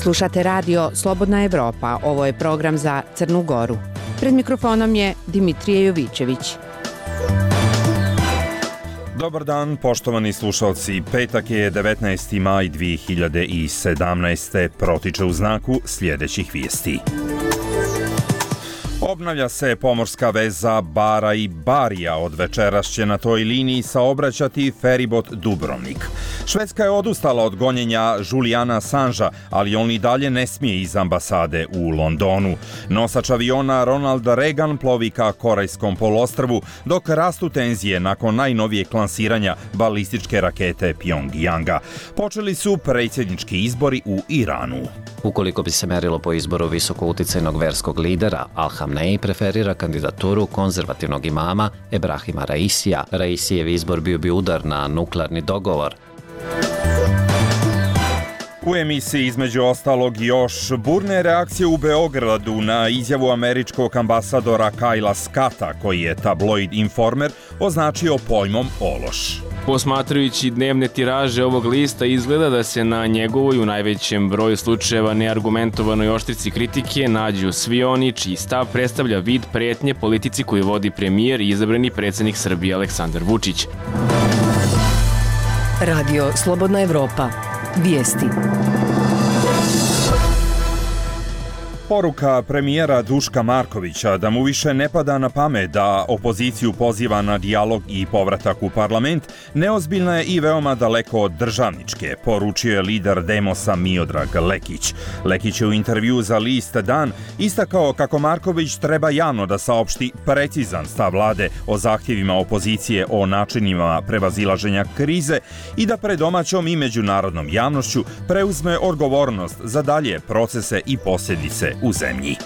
Slušate radio Slobodna Evropa, ovo je program za Crnu Goru. Pred mikrofonom je Dimitrije Jovićević. Dobar dan, poštovani slušalci. Petak je 19. maj 2017. Protiče u znaku sljedećih vijesti. Obnavlja se pomorska veza Bara i Barija. Od večeras će na toj liniji saobraćati feribot Dubrovnik. Švedska je odustala od gonjenja Juliana Assangea, ali on i dalje ne smije iz ambasade u Londonu. Nosač aviona Ronald Reagan plovi ka Korejskom poluostrvu, dok rastu tenzije nakon najnovijeg lansiranja balističke rakete Pjongjanga. Počeli su predsjednički izbori u Iranu. Ukoliko bi se merilo po izboru visoko uticajnog verskog lidera, Al-Hamneji preferira kandidaturu konzervativnog imama Ebrahima Raisija. Raisijev izbor bio bi udar na nuklearni dogovor. U emisiji između ostalog još burne reakcije u Beogradu na izjavu američkog ambasadora Kajla Scotta, koji je tabloid Informer označio pojmom ološ. Posmatrajući dnevne tiraže ovog lista, izgleda da se na njegovoj u najvećem broju slučajeva neargumentovanoj oštrici kritike nađu svi oni čiji stav predstavlja vid pretnje politici koju vodi premijer i izabrani predsjednik Srbije Aleksandar Vučić. Radio Slobodna Evropa. Vijesti. Poruka premijera Duška Markovića da mu više ne pada na pamet da opoziciju poziva na dijalog i povratak u parlament neozbiljna je i veoma daleko od državničke, poručio je lider Demosa Miodrag Lekić. Lekić je u intervju za list Dan istakao kako Marković treba javno da saopšti precizan stav vlade o zahtjevima opozicije o načinima prevazilaženja krize i da pred domaćom i međunarodnom javnošću preuzme odgovornost za dalje procese i posljedice u zemlji.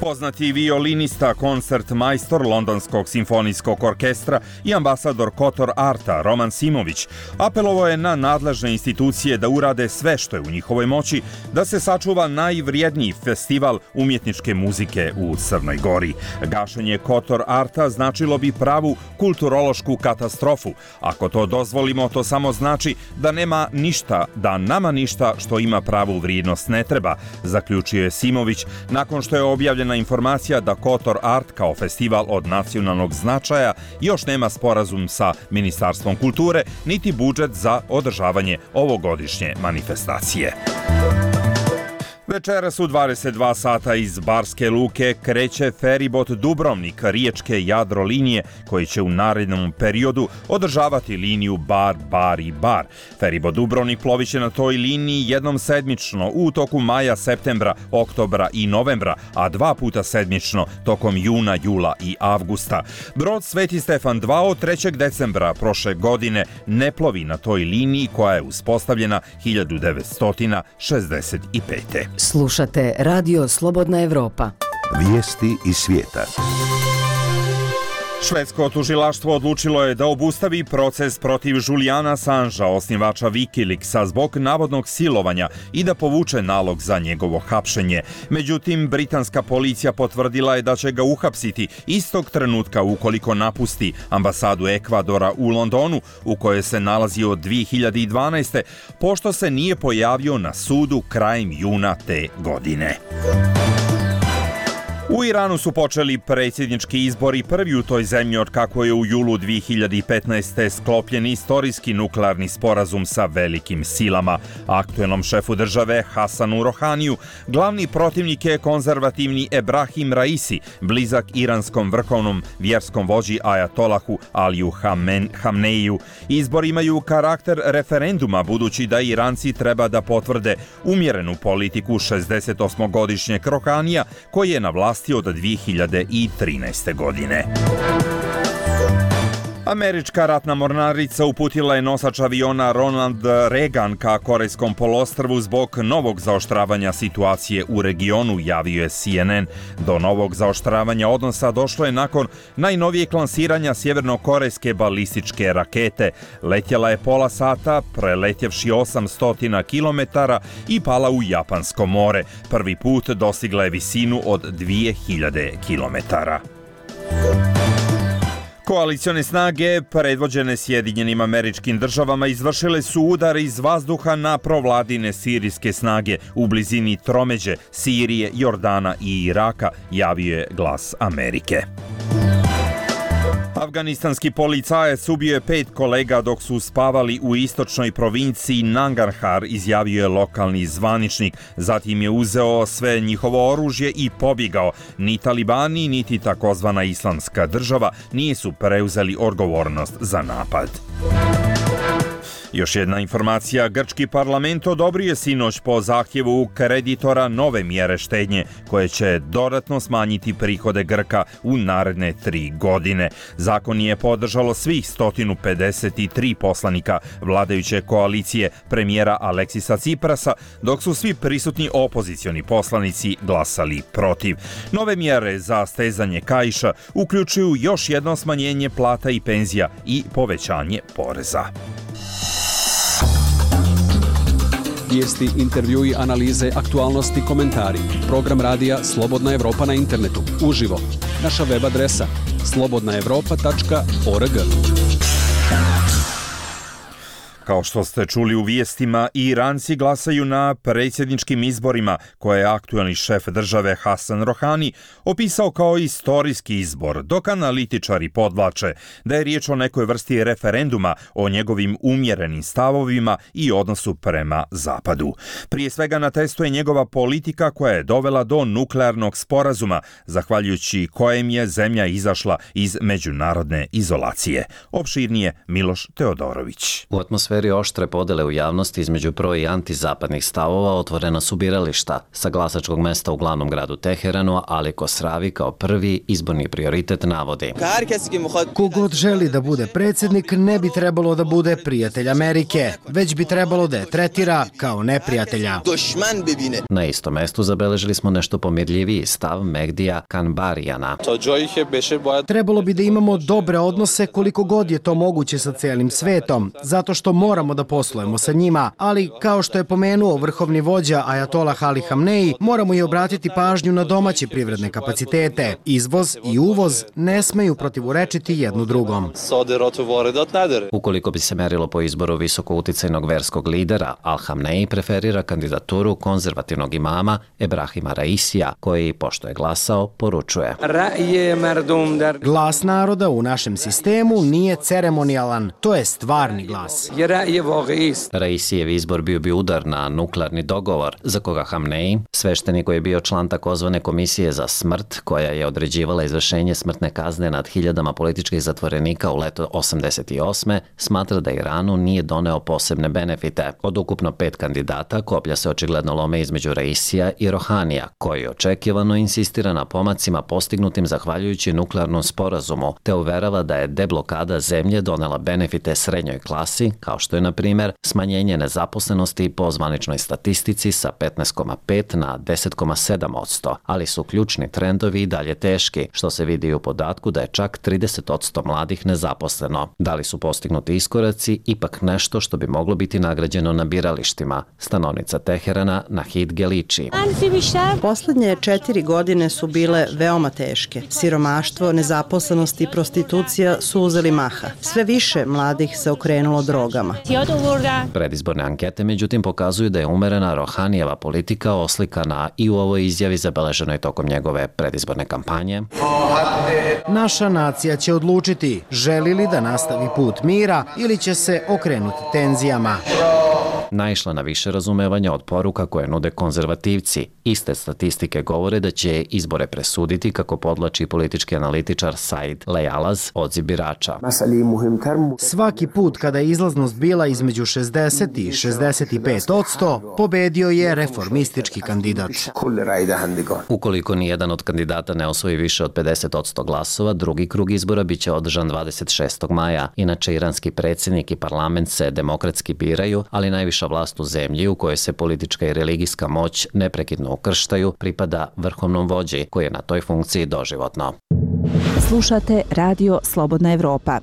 Poznati violinista, koncertmajstor Londonskog simfonijskog orkestra i ambasador Kotor Arta Roman Simović apelovao je na nadležne institucije da urade sve što je u njihovoj moći da se sačuva najvrijedniji festival umjetničke muzike u Crnoj Gori. Gašenje Kotor Arta značilo bi pravu kulturološku katastrofu. Ako to dozvolimo, to samo znači da nama ništa što ima pravu vrijednost ne treba, zaključio je Simović nakon što je objavljena informacija da Kotor Art kao festival od nacionalnog značaja još nema sporazum sa Ministarstvom kulture niti budžet za održavanje ovogodišnje manifestacije. Večeras u 22 sata iz Barske luke kreće feribot Dubrovnik riječke Jadrolinije koji će u narednom periodu održavati liniju Bar. Feribot Dubrovnik ploviće na toj liniji jednom sedmično u toku maja, septembra, oktobra i novembra, a 2 puta sedmično tokom juna, jula i avgusta. Brod Sveti Stefan II od 3. decembra prošle godine ne plovi na toj liniji koja je uspostavljena 1965. Slušate Radio Slobodna Evropa. Vijesti iz svijeta. Švedsko tužilaštvo odlučilo je da obustavi proces protiv Juliana Assangea, osnivača Wikileaksa, zbog navodnog silovanja i da povuče nalog za njegovo hapšenje. Međutim, britanska policija potvrdila je da će ga uhapsiti istog trenutka ukoliko napusti ambasadu Ekvadora u Londonu, u kojoj se nalazi od 2012. pošto se nije pojavio na sudu krajem juna te godine. U Iranu su počeli predsjednički izbori, prvi u toj zemlji od kako je u julu 2015. sklopljen istorijski nuklearni sporazum sa velikim silama. Aktuelnom šefu države Hasanu Rohaniju glavni protivnik je konzervativni Ebrahim Raisi, blizak iranskom vrhovnom vjerskom vođi ajatolahu Aliju Hamneiju. Izbori imaju karakter referenduma budući da Iranci treba da potvrde umjerenu politiku 68-godišnjeg Rohanija koji je na vlasti od 2013. godine. Američka ratna mornarica uputila je nosač aviona Ronald Reagan ka Korejskom poluostrvu zbog novog zaoštravanja situacije u regionu, javio je CNN. Do novog zaoštravanja odnosa došlo je nakon najnovijeg lansiranja sjevernokorejske balističke rakete. Letjela je pola sata, preletjevši 800 km i pala u Japansko more. Prvi put dostigla je visinu od 2000 km. Koalicione snage predvođene Sjedinjenim Američkim Državama izvršile su udar iz vazduha na provladine sirijske snage u blizini tromeđe Sirije, Jordana i Iraka, javio je Glas Amerike. Afganistanski policajac ubio je 5 kolega dok su spavali u istočnoj provinciji Nangarhar, izjavio je lokalni zvaničnik. Zatim je uzeo sve njihovo oružje i pobjegao. Ni talibani, niti takozvana islamska država nisu preuzeli odgovornost za napad. Još jedna informacija, grčki parlament odobrio je sinoć po zahtjevu kreditora nove mjere štednje koje će dodatno smanjiti prihode Grka u naredne 3 godine. Zakon je podržalo svih 153 poslanika vladajuće koalicije premijera Aleksisa Ciprasa, dok su svi prisutni opozicioni poslanici glasali protiv. Nove mjere za stezanje kaiša uključuju još jedno smanjenje plata i penzija i povećanje poreza. Vijesti, intervjui, analize, aktualnosti, komentari. Program radija Slobodna Evropa na internetu. Uživo. Naša web adresa slobodnaevropa.org. Kao što ste čuli u vijestima, Iranci glasaju na predsjedničkim izborima koje je aktualni šef države Hasan Rohani opisao kao istorijski izbor, dok analitičari podvlače da je riječ o nekoj vrsti referenduma o njegovim umjerenim stavovima i odnosu prema Zapadu. Prije svega na testu je njegova politika koja je dovela do nuklearnog sporazuma, zahvaljujući kojem je zemlja izašla iz međunarodne izolacije. Opširnije Miloš Teodorović. U atmosferi oštre podele u javnosti između pro i antizapadnih stavova otvorena su birališta. Sa glasačkog mesta u glavnom gradu Teheranu, Ali Kosravi kao prvi izborni prioritet navodi: Kogod želi da bude predsjednik ne bi trebalo da bude prijatelj Amerike, već bi trebalo da je tretira kao neprijatelja. Na istom mestu zabeležili smo nešto pomirljiviji stav Megdija Kanbarijana. Trebalo bi da imamo dobre odnose koliko god je to moguće sa cijelim svetom, zato što moramo da poslujemo sa njima, ali kao što je pomenuo vrhovni vođa Ajatolah Ali Hamneji, moramo i obratiti pažnju na domaće privredne kapacitete. Izvoz i uvoz ne smeju protivurečiti jednu drugom. Ukoliko bi se merilo po izboru visoko uticajnog verskog lidera, Al Hamneji preferira kandidaturu konzervativnog imama Ebrahima Raisija, koji, pošto je glasao, poručuje: Glas naroda u našem sistemu nije ceremonijalan, to je stvarni glas. Raisijev izbor bio bi udar na nuklearni dogovor, za koga Hamneji, sveštenik koji je bio član takozvane komisije za smrt, koja je određivala izvršenje smrtne kazne nad hiljadama političkih zatvorenika u leto 88. smatra da Iranu nije doneo posebne benefite. Od ukupno 5 kandidata, koplja se očigledno lome između Raisija i Rohanija, koji očekivano insistira na pomacima postignutim zahvaljujući nuklearnom sporazumu, te uverava da je deblokada zemlje donela benefite srednjoj klasi, kao što je, na primjer, smanjenje nezaposlenosti po zvaničnoj statistici sa 15,5 na 10,7%, ali su ključni trendovi i dalje teški, što se vidi u podatku da je čak 30% mladih nezaposleno. Da li su postignuti iskoraci ipak nešto što bi moglo biti nagrađeno na biralištima? Stanovnica Teherana Nahid Geliči. Poslednje 4 godine su bile veoma teške. Siromaštvo, nezaposlenost i prostitucija su uzeli maha. Sve više mladih se okrenulo drogama. Predizborne ankete, međutim, pokazuju da je umerena Rohanijeva politika oslikana i u ovoj izjavi zabeleženoj tokom njegove predizborne kampanje. Naša nacija će odlučiti želi li da nastavi put mira ili će se okrenuti tenzijama. Naišla na više razumevanja od poruka koje nude konzervativci. Iste statistike govore da će izbore presuditi, kako podlači politički analitičar Said Lejalaz, odziv birača. Svaki put kada je izlaznost bila između 60 i 65%, pobedio je reformistički kandidat. Ukoliko nijedan od kandidata ne osvoji više od 50% glasova, drugi krug izbora biće održan 26. maja. Inače, iranski predsjednik i parlament se demokratski biraju, ali najviša vlast u zemlji, u kojoj se politička i religijska moć neprekidno ukrštaju, pripada vrhovnom vođi, koji je na toj funkciji doživotno. Slušate Radio Slobodna Evropa.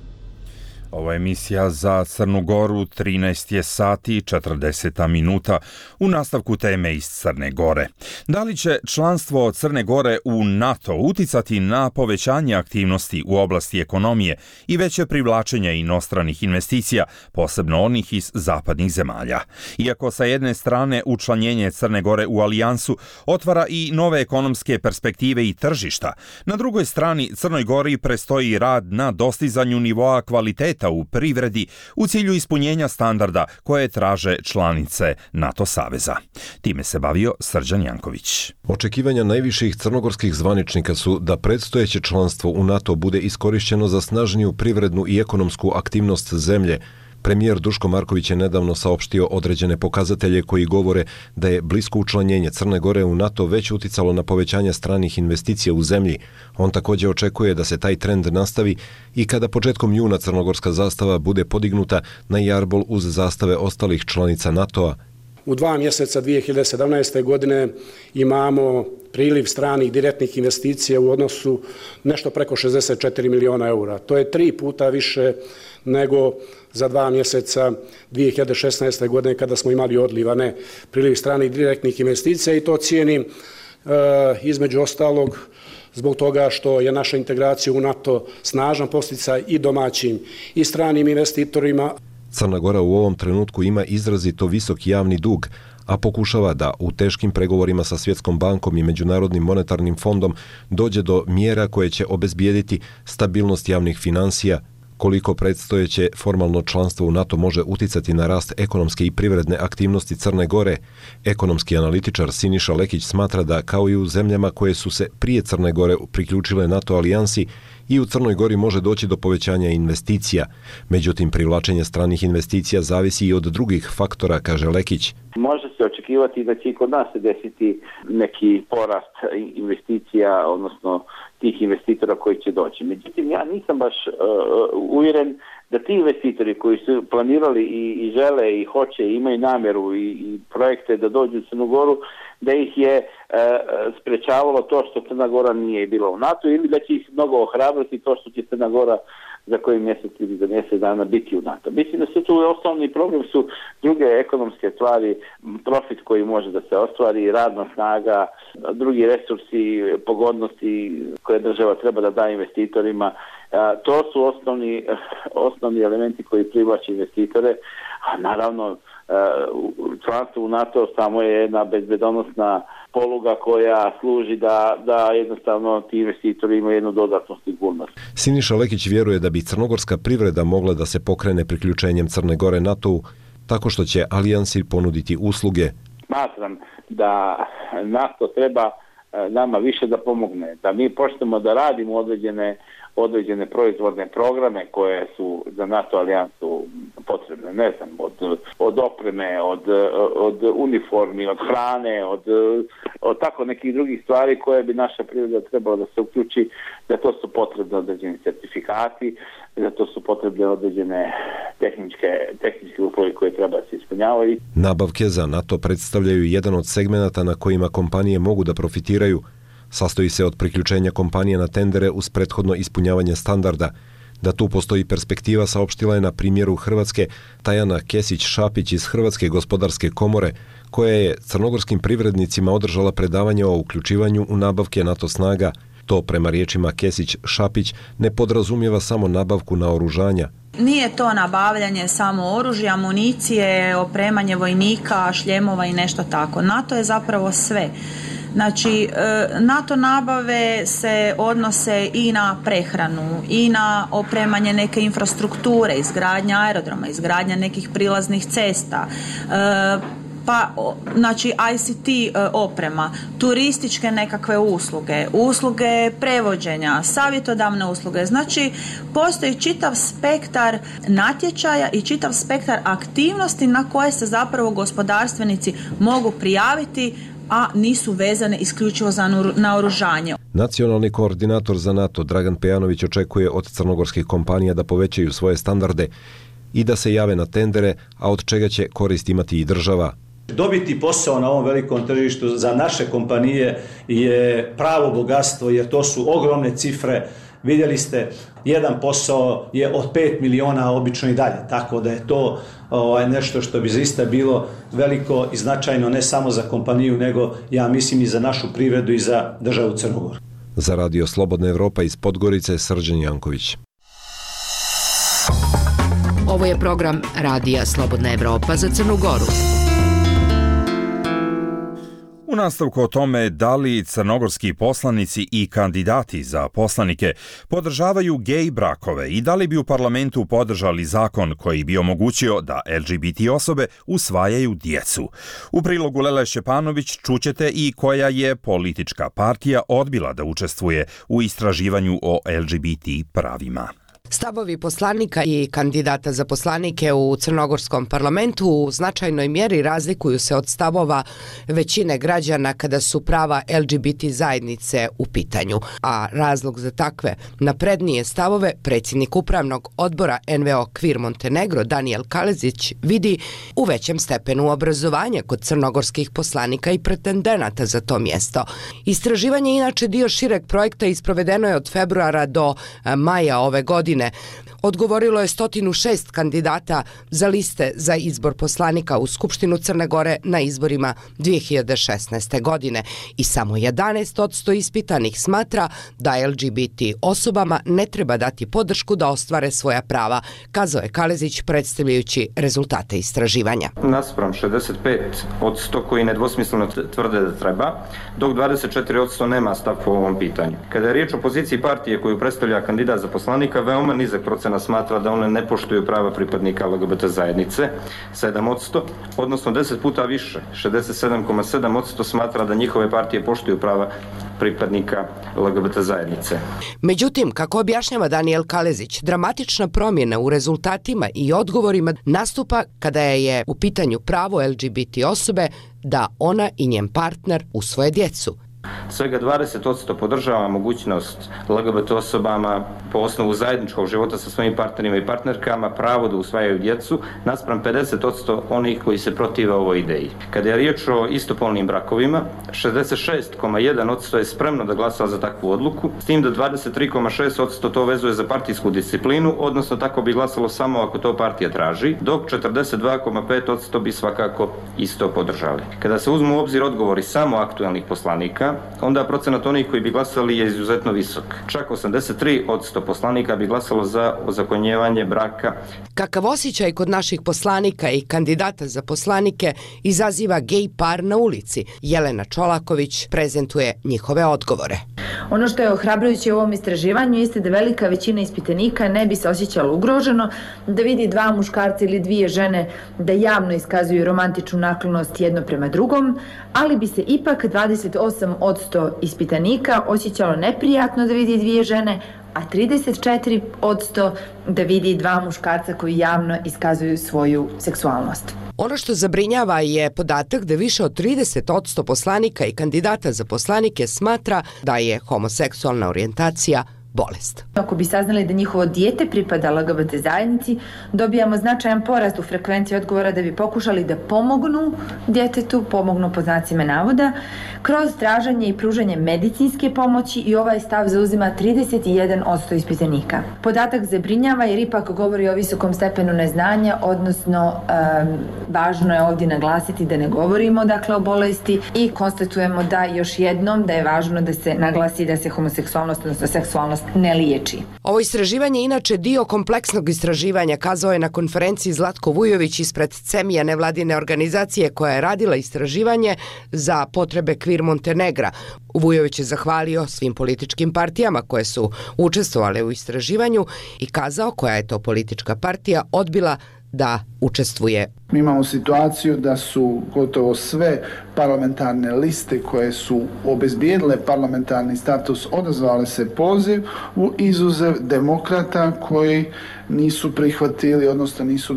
Ovo je emisija za Crnu Goru, 13 je sati 40 minuta, u nastavku teme iz Crne Gore. Da li će članstvo Crne Gore u NATO uticati na povećanje aktivnosti u oblasti ekonomije i veće privlačenje inostranih investicija, posebno onih iz zapadnih zemalja? Iako sa jedne strane učlanjenje Crne Gore u alijansu otvara i nove ekonomske perspektive i tržišta, na drugoj strani Crnoj Gori prestoji rad na dostizanju nivoa kvaliteta u privredi u cilju ispunjenja standarda koje traže članice NATO saveza. Time se bavio Srđan Janković. Očekivanja najviših crnogorskih zvaničnika su da predstojeće članstvo u NATO bude iskorišćeno za snažniju privrednu i ekonomsku aktivnost zemlje. Premijer Duško Marković je nedavno saopštio određene pokazatelje koji govore da je blisko učlanjenje Crne Gore u NATO već uticalo na povećanje stranih investicija u zemlji. On također očekuje da se taj trend nastavi i kada početkom juna crnogorska zastava bude podignuta na jarbol uz zastave ostalih članica NATO-a. U 2 mjeseca 2017. godine imamo priliv stranih direktnih investicija u odnosu nešto preko 64 miliona eura. To je 3 puta više nego za 2 mjeseca 2016. godine kada smo imali odliv, a ne priliv stranih direktnih investicija, i to cijenim između ostalog zbog toga što je naša integracija u NATO snažan podsticaj i domaćim i stranim investitorima. Crna Gora u ovom trenutku ima izrazito visok javni dug, a pokušava da u teškim pregovorima sa Svjetskom bankom i Međunarodnim monetarnim fondom dođe do mjera koje će obezbijediti stabilnost javnih financija. Koliko predstojeće formalno članstvo u NATO može uticati na rast ekonomske i privredne aktivnosti Crne Gore, ekonomski analitičar Siniša Lekić smatra da, kao i u zemljama koje su se prije Crne Gore priključile NATO alijansi, i u Crnoj Gori može doći do povećanja investicija. Međutim, privlačenje stranih investicija zavisi i od drugih faktora, kaže Lekić. Može se očekivati da će i kod nas se desiti neki porast investicija, odnosno tih investitora koji će doći. Međutim, ja nisam baš uvjeren da ti investitori koji su planirali i žele i hoće i imaju namjeru i projekte da dođu u Crnu Goru, da ih je sprečavalo to što Crna Gora nije bila u NATO, ili da će ih mnogo ohrabriti to što će Crna Gora za koji mjesec ili za mjesec dana biti u NATO. Mislim da su tu osnovni problem su druge ekonomske stvari, profit koji može da se ostvari, radna snaga, drugi resursi, pogodnosti koje država treba da da investitorima. To su osnovni elementi koji privlače investitore, a naravno članstvo u NATO samo je jedna bezbedonosna poluga koja služi da jednostavno ti investitori imaju jednu dodatnu sigurnost. Siniša Lekić vjeruje da bi crnogorska privreda mogla da se pokrene priključenjem Crne Gore NATO-u tako što će alijansi ponuditi usluge. Smatram da NATO treba nama više da pomogne, da mi počnemo da radimo određene proizvodne programe koje su za NATO alijansu potrebne, ne znam, od opreme, od uniformi, od hrane, od tako nekih drugih stvari koje bi naša privreda trebala da se uključi, da to su potrebne određeni certifikati, da to su potrebne određene tehničke uslovi koje treba da se ispunjavaju. Nabavke za NATO predstavljaju jedan od segmenata na kojima kompanije mogu da profitiraju. Sastoji se od priključenja kompanije na tendere uz prethodno ispunjavanje standarda. Da tu postoji perspektiva saopštila je na primjeru Hrvatske Tajana Kesić-Šapić iz Hrvatske gospodarske komore, koja je crnogorskim privrednicima održala predavanje o uključivanju u nabavke NATO snaga. To, prema riječima Kesić-Šapić, ne podrazumijeva samo nabavku naoružanja. Nije to nabavljanje samo oružja, amunicije, opremanje vojnika, šljemova i nešto tako. NATO je zapravo sve. Znači, NATO nabave se odnose i na prehranu, i na opremanje neke infrastrukture, izgradnja aerodroma, izgradnja nekih prilaznih cesta, pa znači ICT oprema, turističke nekakve usluge prevođenja, savjetodavne usluge. Znači, postoji čitav spektar natječaja i čitav spektar aktivnosti na koje se zapravo gospodarstvenici mogu prijaviti, a nisu vezane isključivo za naoružanje. Nacionalni koordinator za NATO Dragan Pejanović očekuje od crnogorskih kompanija da povećaju svoje standarde i da se jave na tendere, a od čega će korist imati i država. Dobiti posao na ovom velikom tržištu za naše kompanije je pravo bogatstvo, jer to su ogromne cifre. vidjeli ste, jedan posao je od 5 miliona obično i dalje, tako da je to nešto što bi zaista bilo veliko i značajno ne samo za kompaniju, nego ja mislim i za našu privredu i za državu Crnu Goru. Za Radio Slobodna Evropa iz Podgorice, Srđan Janković. Ovo je program Radija Slobodna Evropa za Crnu Goru. U nastavku o tome da li crnogorski poslanici i kandidati za poslanike podržavaju gej brakove i da li bi u parlamentu podržali zakon koji bi omogućio da LGBT osobe usvajaju djecu. U prilogu Lele Šćepanović čućete i koja je politička partija odbila da učestvuje u istraživanju o LGBT pravima. Stavovi poslanika i kandidata za poslanike u crnogorskom parlamentu u značajnoj mjeri razlikuju se od stavova većine građana kada su prava LGBT zajednice u pitanju, a razlog za takve naprednije stavove predsjednik upravnog odbora NVO Kvir Montenegro Danijel Kalezić vidi u većem stepenu obrazovanja kod crnogorskih poslanika i pretendenata za to mjesto. Istraživanje je inače dio šireg projekta i sprovedeno je od februara do maja ove godine. Odgovorilo je 106 kandidata za liste za izbor poslanika u Skupštinu Crne Gore na izborima 2016. godine i samo 11% ispitanih smatra da LGBT osobama ne treba dati podršku da ostvare svoja prava, kazao je Kalezić predstavljajući rezultate istraživanja. Naspram 65% koji nedvosmisleno tvrde da treba, dok 24% nema stav po ovom pitanju. Kada je riječ o poziciji partije koju predstavlja kandidat za poslanika, veoma nizak procena smatra da one ne poštuju prava pripadnika LGBT zajednice, 7%, odnosno 10 puta više, 67,7% smatra da njihove partije poštuju prava pripadnika LGBT zajednice. Međutim, kako objašnjava Danijel Kalezić, dramatična promjena u rezultatima i odgovorima nastupa kada je u pitanju pravo LGBT osobe da ona i njen partner usvoje djecu. Svega 20% podržava mogućnost LGBT osobama po osnovu zajedničkog života sa svojim partnerima i partnerkama pravo da usvajaju djecu, naspram 50% onih koji se protive ovoj ideji. Kada je riječ o istopolnim brakovima, 66,1% je spremno da glasa za takvu odluku, s tim da 23,6% to vezuje za partijsku disciplinu, odnosno tako bi glasalo samo ako to partija traži, dok 42,5% bi svakako isto podržali. Kada se uzmu u obzir odgovori samo aktuelnih poslanika, onda procenat onih koji bi glasali je izuzetno visok. Čak 83% poslanika bi glasalo za ozakonjevanje braka. Kakav osjećaj kod naših poslanika i kandidata za poslanike izaziva gej par na ulici? Jelena Čolaković prezentuje njihove odgovore. Ono što je ohrabrujuće u ovom istraživanju jeste da velika većina ispitanika ne bi se osjećala ugroženo da vidi dva muškarca ili dvije žene da javno iskazuju romantičnu naklonost jedno prema drugom, ali bi se ipak 28% ispitanika osjećalo neprijatno da vidi dvije žene, a 34% da vidi dva muškarca koji javno iskazuju svoju seksualnost. Ono što zabrinjava je podatak da više od 30% poslanika i kandidata za poslanike smatra da je homoseksualna orijentacija bolest. Ako bi saznali da njihovo dijete pripada LGBT zajednici, dobijamo značajan porast u frekvenciji odgovora da bi pokušali da pomognu djetetu, pomognu pod znacima navoda, kroz traženje i pružanje medicinske pomoći i ovaj stav zauzima 31% ispitanika. Podatak zabrinjava jer ipak govori o visokom stepenu neznanja, odnosno važno je ovdje naglasiti da ne govorimo o bolesti i konstatujemo da još jednom da je važno da se naglasi da se homoseksualnost, odnosno seksualnost ne liječi. Ovo istraživanje je inače dio kompleksnog istraživanja, kazao je na konferenciji Zlatko Vujović ispred CEMIA nevladine organizacije koja je radila istraživanje za potrebe Kvir Montenegra. Vujović je zahvalio svim političkim partijama koje su učestvovale u istraživanju i kazao koja je to politička partija odbila da učestvuje. Mi imamo situaciju da su gotovo sve parlamentarne liste koje su obezbijedile parlamentarni status odazvale se poziv u izuzev demokrata koji nisu prihvatili, odnosno nisu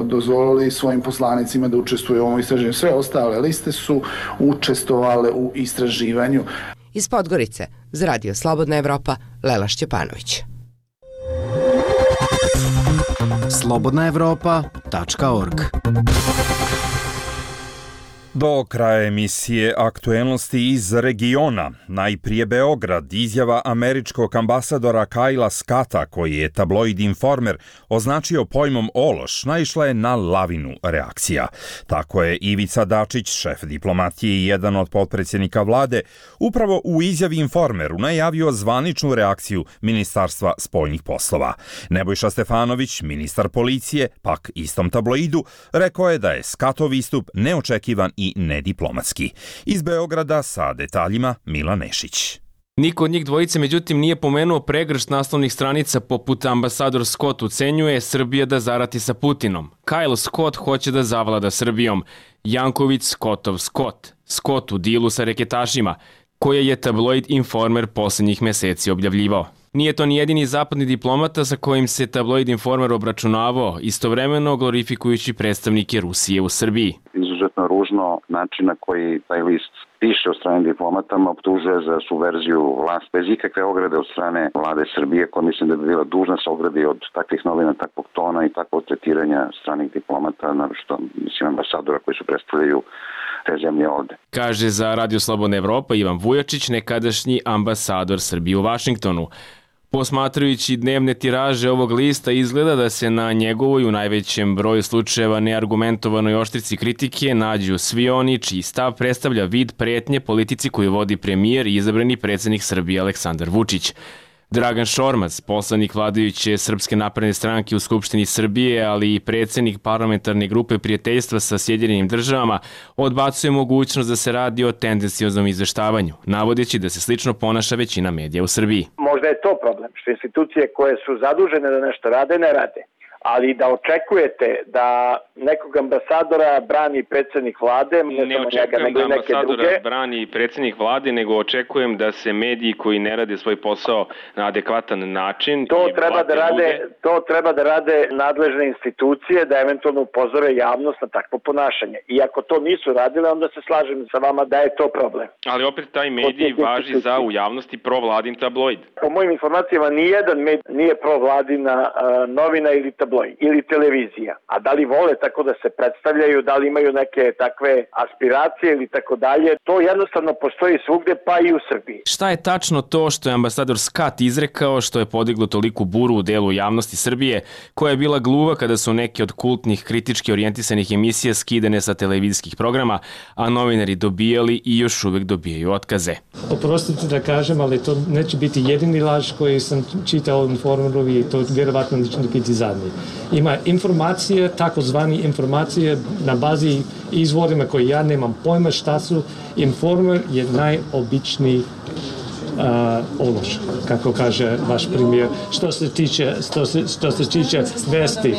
dozvolili svojim poslanicima da učestvuju u ovom istraživanju. Sve ostale liste su učestvovale u istraživanju. Iz Podgorice, za Radio Slobodna Evropa, Lela Šćepanović. slobodnaevropa.org. Do kraja emisije aktuelnosti iz regiona. Najprije Beograd, izjava američkog ambasadora Kajla Scotta, koji je tabloid Informer označio pojmom ološ, naišla je na lavinu reakcija. Tako je Ivica Dačić, šef diplomatije i jedan od potpredsjednika vlade, upravo u izjavi Informeru najavio zvaničnu reakciju Ministarstva spoljnih poslova. Nebojša Stefanović, ministar policije, pak istom tabloidu, rekao je da je Scottov istup neočekivan i nediplomatski. Iz Beograda sa detaljima Mila Nešić. Niko od njih dvojice međutim nije pomenuo pregršt naslovnih stranica poput ambasador Scott ucenjuje Srbija da zarati sa Putinom. Kyle Scott hoće da zavlada Srbijom. Janković Scottov Scott. Scott u dilu sa reketašima, koje je tabloid Informer posljednjih meseci objavljivao. Nije to ni jedini zapadni diplomata sa kojim se tabloid Informer obračunavao, istovremeno glorifikujući predstavnike Rusije u Srbiji. Izuzetno ružno način na koji taj list piše od strane diplomatama, optužuje za subverziju vlast bez ikakve ograde od strane vlade Srbije, koja mislim da bi bila dužna se ogradi od takvih novina, takvog tona i takvog tretiranja stranih diplomata, naročito mislim ambasadora koji su predstavljaju te zemlje ovde. Kaže za Radio Slobodna Evropa Ivan Vujačić, nekadašnji ambasador Srbije u Vašingtonu. Posmatrajući dnevne tiraže ovog lista, izgleda da se na njegovoj u najvećem broju slučajeva neargumentovanoj oštrici kritike nađu svi oni čiji stav predstavlja vid pretnje politici koju vodi premijer i izabrani predsjednik Srbije Aleksandar Vučić. Dragan Šormaz, poslanik vladajuće Srpske napredne stranke u Skupštini Srbije, ali i predsjednik parlamentarne grupe prijateljstva sa Sjedinjenim državama, odbacuje mogućnost da se radi o tendencioznom izveštavanju, navodeći da se slično ponaša većina medija u Srbiji. Možda je to problem, što institucije koje su zadužene da nešto rade, ne rade. Ali da očekujete da nekog ambasadora brani predsjednik vlade, ne očekujem da ambasadora brani predsjednik vlade, nego očekujem da se mediji koji ne rade svoj posao na adekvatan način... To treba da rade nadležne institucije, da eventualno upozore javnost na takvo ponašanje. I ako to nisu radile, onda se slažem sa vama da je to problem. Ali opet taj medij važi za u javnosti provladin tabloid. Po mojim informacijama nijedan medij nije provladina novina ili tabloid ili televizija. A da li vole tako da se predstavljaju, da li imaju neke takve aspiracije ili tako dalje, to jednostavno postoji svugde, pa i u Srbiji. Šta je tačno to što je ambasador Scott izrekao, što je podiglo toliku buru u delu javnosti Srbije, koja je bila gluva kada su neke od kultnih kritički orijentisanih emisija skidane sa televizijskih programa, a novinari dobijali i još uvek dobijaju otkaze. Oprostite da kažem, ali to neće biti jedini laž koji sam čitao u Informeru i to vjerovatno neće biti zadnji. Ima informacije, takozvani informacije na bazi izvorima koje ja nemam pojma šta su. Informer je najobičniji ološ, kako kaže vaš premijer, što se tiče vesti.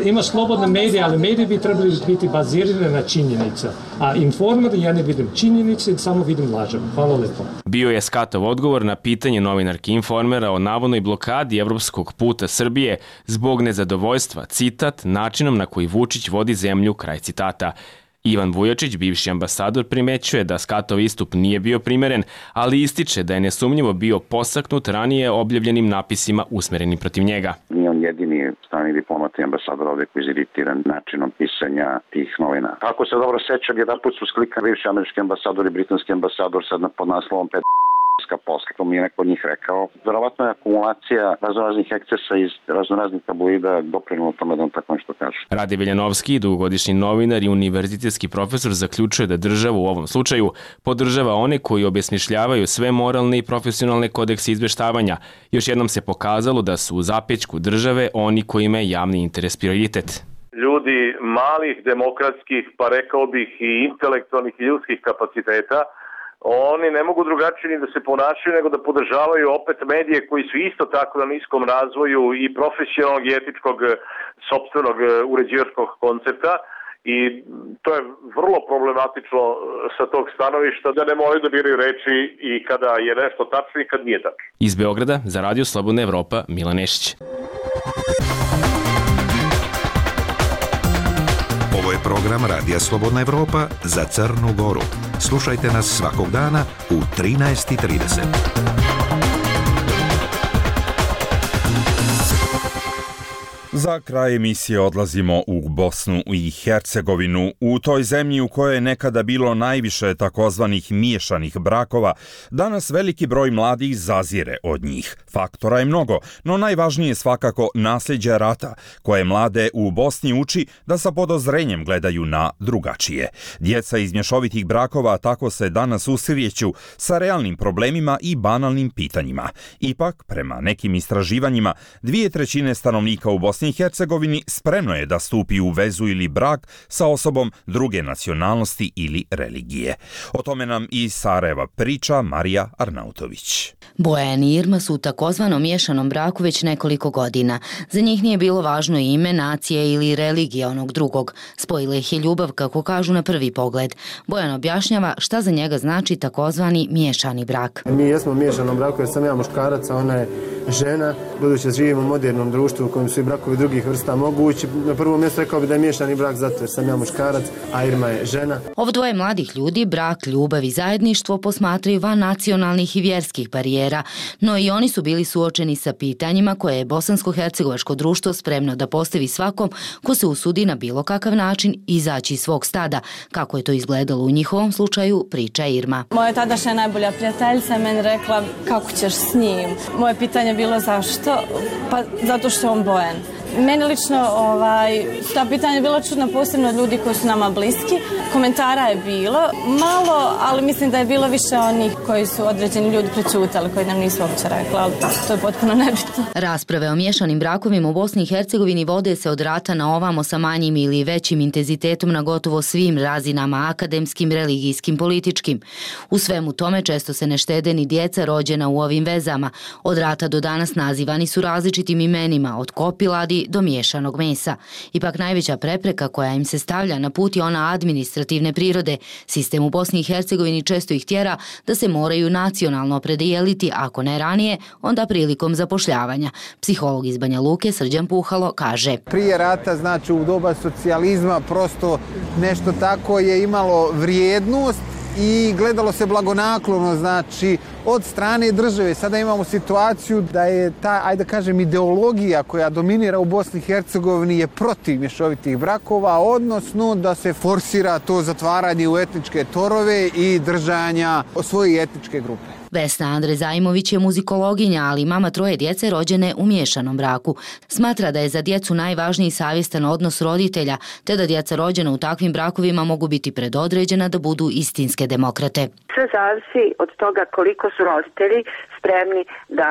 Ima slobodne medije, ali mediji bi trebali biti bazirane na činjenica. A Informer, ja ne vidim činjenice, samo vidim lažem. Hvala lepo. Bio je Scottov odgovor na pitanje novinarki Informera o navodnoj blokadi evropskog puta Srbije zbog nezadovoljstva, citat, načinom na koji Vučić vodi zemlju, kraj citata. Ivan Vujačić, bivši ambasador, primećuje da Scottov istup nije bio primeren, ali ističe da je nesumnjivo bio posaknut ranije objavljenim napisima usmerenim protiv njega. Nije on jedini strani diplomat i ambasador ovdje koji je iziritiran načinom pisanja tih novina. Ako se dobro sećam, jedan put su sklikani bivši američki ambasador i britanski ambasador sad pod naslovom posla, to mi je neko od njih rekao. Verovatno je akumulacija raznoraznih ekscesa iz raznoraznih tabloida doprinula tome da on tako nešto kaže. Rade Veljanovski, dugogodišnji novinar i univerzitetski profesor, zaključuje da država u ovom slučaju podržava one koji obesmišljavaju sve moralne i profesionalne kodekse izveštavanja. Još jednom se pokazalo da su u zapećku države oni kojima je javni interes prioritet. Ljudi malih, demokratskih, pa rekao bih i intelektualnih i ljudskih kapaciteta, oni ne mogu drugačije ni da se ponašaju nego da podržavaju opet medije koji su isto tako na niskom razvoju i profesionalnog i etičkog sopstvenog uređivačkog koncepta i to je vrlo problematično sa tog stanovišta da ne moraju da biraju reči i kada je nešto tačno i kad nije tačno. Iz Beograda za Radio Slobodna Evropa Mila Nešić. Ovo je program Radija Slobodna Evropa za Crnu Goru. Slušajte nas svakog dana u 13:30. Za kraj emisije odlazimo u Bosnu i Hercegovinu. U toj zemlji u kojoj je nekada bilo najviše takozvanih miješanih brakova, danas veliki broj mladih zazire od njih. Faktora je mnogo, no najvažnije je svakako nasljeđe rata, koje mlade u Bosni uči da sa podozrenjem gledaju na drugačije. Djeca iz mješovitih brakova tako se danas susreću sa realnim problemima i banalnim pitanjima. Ipak, prema nekim istraživanjima, 2/3 stanovnika u Bosni i Hercegovini spremno je da stupi u vezu ili brak sa osobom druge nacionalnosti ili religije. O tome nam iz Sarajeva priča Marija Arnautović. Bojan i Irma su u takozvanom miješanom braku već nekoliko godina. Za njih nije bilo važno ime, nacija ili religija onog drugog. Spojila ih je ljubav, kako kažu na prvi pogled. Bojan objašnjava šta za njega znači takozvani miješani brak. Mi jesmo u miješanom braku jer sam ja muškarac, a ona je žena. Budući da živimo u modernom društvu u kojem su i brakovi drugih vrsta mogući, na prvom mjestu rekao bi da je miješani brak zato jer sam ja muškarac, a Irma je žena. Ovo dvoje mladih ljudi brak, ljubav i zajedništvo posmatraju van nacionalnih i vjerskih barijera, no i oni su bili suočeni sa pitanjima koje je bosansko-hercegovačko društvo spremno da postavi svakom ko se usudi na bilo kakav način izaći iz svog stada. Kako je to izgledalo u njihovom slučaju, priča Irma. Moja tadašnja najbolja prijateljica je meni rekla kako ćeš s njim. Moje pitanje je bilo zašto? Pa zato što je on Bojan. Meni lično ta pitanja je bila čudna, posebno od ljudi koji su nama bliski. Komentara je bilo malo, ali mislim da je bilo više onih koji su određeni ljudi prečutali, koji nam nisu uopće rekli, ali to je potpuno nebitno. Rasprave o miješanim brakovima u Bosni i Hercegovini vode se od rata na ovamo sa manjim ili većim intenzitetom na gotovo svim razinama, akademskim, religijskim, političkim. U svemu tome često se ne štede ni djeca rođena u ovim vezama. Od rata do danas nazivani su različitim imenima, od kopiladi do miješanog mesa. Ipak najveća prepreka koja im se stavlja na put je ona administrativne prirode. Sistem u Bosni i Hercegovini često ih tjera da se moraju nacionalno opredijeliti, ako ne ranije, onda prilikom zapošljavanja. Psiholog iz Banja Luke Srđan Puhalo kaže: Prije rata, znači u doba socijalizma, prosto nešto tako je imalo vrijednost i gledalo se blagonaklono, znači od strane države. Sada imamo situaciju da je ta, ajde da kažem, ideologija koja dominira u Bosni i Hercegovini je protiv mješovitih brakova, odnosno da se forsira to zatvaranje u etničke torove i držanja svoje etničke grupe. Vesna Andre Zajmović je muzikologinja, ali mama 3 djece rođene u miješanom braku. Smatra da je za djecu najvažniji savjestan odnos roditelja, te da djeca rođena u takvim brakovima mogu biti predodređena da budu istinske demokrate. Sve zavisi od toga koliko su roditelji spremni da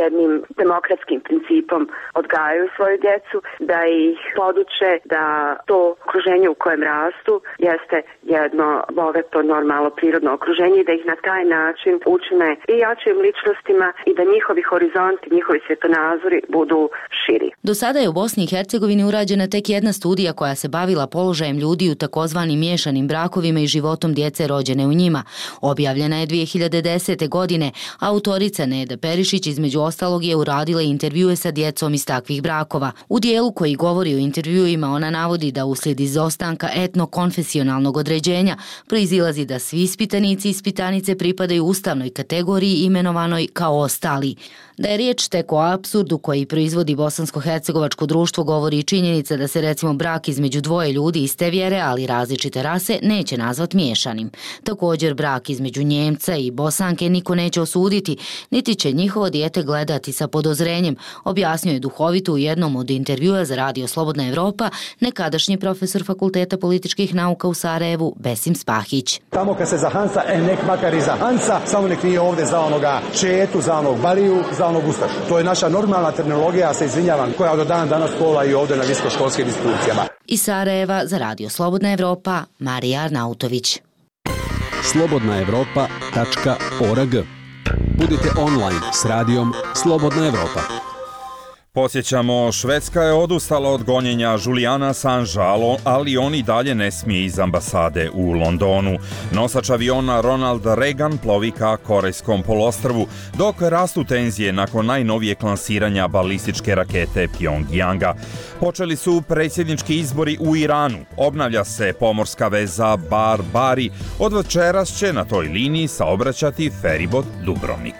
jednim demokratskim principom odgajaju svoju djecu, da ih poduče da to okruženje u kojem rastu jeste jedno bogato, normalno, prirodno okruženje i da ih na taj način učine i jačim ličnostima i da njihovi horizonti, njihovi svjetonazori budu širi. Do sada je u Bosni i Hercegovini urađena tek jedna studija koja se bavila položajem ljudi u takozvanim miješanim brakovima i životom djece rođene u njima. Objavljena je 2010. godine. Autorica Neda Perišić između ostalog je uradila intervjue sa djecom iz takvih brakova. U dijelu koji govori o intervjuima ona navodi da uslijed izostanka etno-konfesionalnog određenja proizilazi da svi ispitanici i ispitanice pripadaju ustavnoj kategoriji imenovanoj kao ostali. Da je riječ tek o apsurdu koji proizvodi bosansko-hercegovačko društvo govori i činjenica da se recimo brak između dvoje ljudi iste vjere, ali različite rase, neće nazvat miješanim. Također brak između Njemca i Bosanke niko neće osuditi, niti će njihovo dijete gledati sa podozrenjem, objasnio je duhovito u jednom od intervjua za Radio Slobodna Evropa nekadašnji profesor Fakulteta političkih nauka u Sarajevu Besim Spahić. Tamo kad se za Hansa, nek makar i za Hansa, samo nek nije ovdje za onoga Četu, za onog Bariju, za onog Ustašu. To je naša normalna terminologija, ja se izvinjavam, koja od dana danas kola i ovdje na visokoškolskim institucijama. Iz Sarajeva za Radio Slobodna Evropa, Marija Arnautović. slobodnaevropa.org. Budite online s radijom Slobodna Evropa. Podsjećamo, Švedska je odustala od gonjenja Juliana Assangea, ali on i dalje ne smije iz ambasade u Londonu. Nosač aviona Ronald Reagan plovi ka Korejskom poluostrvu, dok rastu tenzije nakon najnovijeg lansiranja balističke rakete Pjongjanga. Počeli su predsjednički izbori u Iranu. Obnavlja se pomorska veza Bar-Bari. Od večeras će na toj liniji saobraćati feribot Dubrovnik.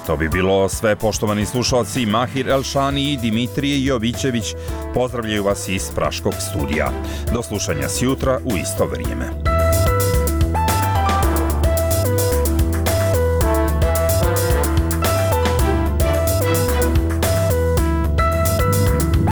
To bi bilo sve, poštovani slušalci. Mahir Elšani i Dimitrije Jovićević pozdravljaju vas iz Praškog studija. Do slušanja sjutra u isto vrijeme.